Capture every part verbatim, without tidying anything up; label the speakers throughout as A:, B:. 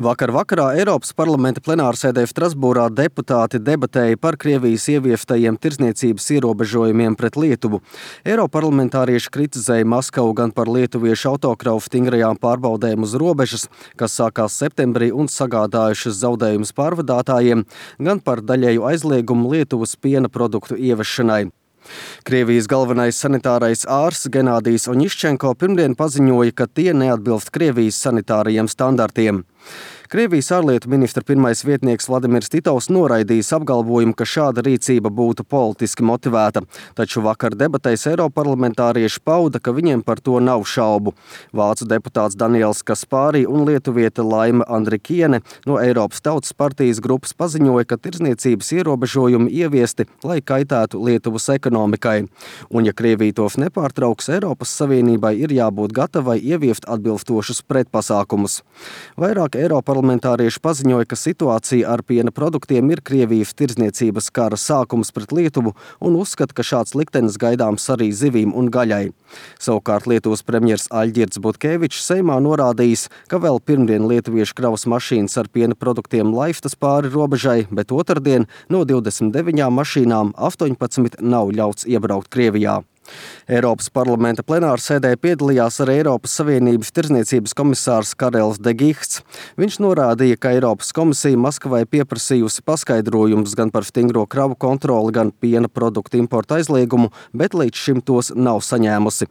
A: Vakar vakarā Eiropas parlamenta plenārsēdē Strasbūrā deputāti debatēja par Krievijas ieviestajiem tirdzniecības ierobežojumiem pret Lietuvu. Eiroparlamentārieši kritizēja Maskavu gan par lietuviešu autokravu stingrajām pārbaudēm uz robežas, kas sākās septembrī un sagādājušas zaudējumus pārvadātājiem, gan par daļēju aizliegumu Lietuvas piena produktu ievešanai. Krievijas galvenais sanitārais ārsts Genādijs Oņiščenko pirmdien paziņoja, ka tie neatbilst Krievijas sanitārajiem standartiem. Krievijas ārlietu ministra pirmais vietnieks Vladimirs Titovs noraidījis apgalvojumu, ka šāda rīcība būtu politiski motivēta, taču vakar debatēs eiroparlamentārieši pauda, ka viņiem par to nav šaubu. Vācu deputāts Daniels Kaspārī un lietuviete Laima Andrikiene no Eiropas Tautas partijas grupas paziņoja, ka tirdzniecības ierobežojumi ieviesti, lai kaitētu Lietuvas ekonomikai. Un ja Krievija tos nepārtrauks, Eiropas Savienībai ir jābūt gatavai ieviest atbilstošus pretpasākumus. Vairāk Eiroparlamentārieši Parlamentārieši paziņoja, ka situācija ar piena produktiem ir Krievijas tirdzniecības kara sākums pret Lietuvu un uzskata, ka šāds liktenis gaidāms arī zivīm un gaļai. Savukārt Lietuvas premjers Aļģirds Butkevičs Seimā norādījis, ka vēl pirmdien lietuviešu kravas mašīnas ar piena produktiem laistas pāri robežai, bet otrdien no divdesmit deviņām mašīnām astoņpadsmit nav ļauts iebraukt Krievijā. Eiropas parlamenta plenārsēdē piedalījās arī Eiropas Savienības tirdzniecības komisārs Karels de Gihts. Viņš norādīja, ka Eiropas komisija Maskavai pieprasījusi paskaidrojumus gan par stingro kravu kontroli, gan piena produktu importa aizliegumu, bet līdz šim tos nav saņēmusi.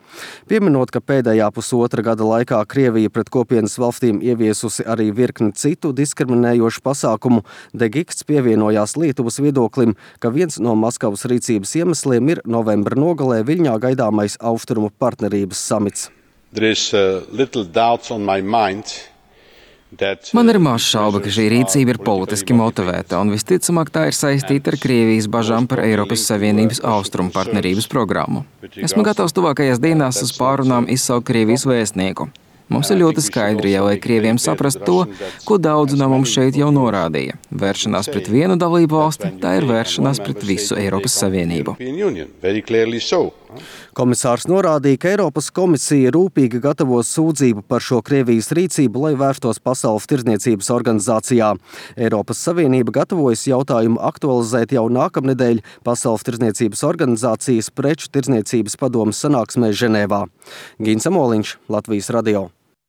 A: Pieminot, ka pēdējā pusotra gada laikā Krievija pret kopienas valstīm ieviesusi arī virkni citu diskriminējošu pasākumu, de Gihts pievienojās Lietuvas viedoklim, ka viens no Maskavas rīcības iemesliem ir novembra nogalē Viļņā gaidāmais Austrumu partnerības samits.
B: Man ir maz šauba, ka šī rīcība ir politiski motivēta, un visticamāk tā ir saistīta ar Krievijas bažām par Eiropas Savienības Austrumu partnerības programmu. Esmu gatavs tuvākajās dienās uz pārunām izsaukt Krievijas vēstnieku. Mums ir ļoti skaidri jāliek Krieviem saprast to, ko daudzi no mums šeit jau norādīja. Vēršanās pret vienu dalību valsti, tā ir vēršanās pret visu Eiropas Savienību.
A: Komisārs norādīja, ka Eiropas komisija rūpīgi gatavos sūdzību par šo Krievijas rīcību, lai vērstos Pasaules tirdzniecības organizācijā. Eiropas Savienība gatavojas jautājumu aktualizēt jau nākamnedēļ Pasaules tirdzniecības organizācijas preču tirdzniecības padomes sanāksmē Ženēvā. Gins Amoliņš, Latvijas radio.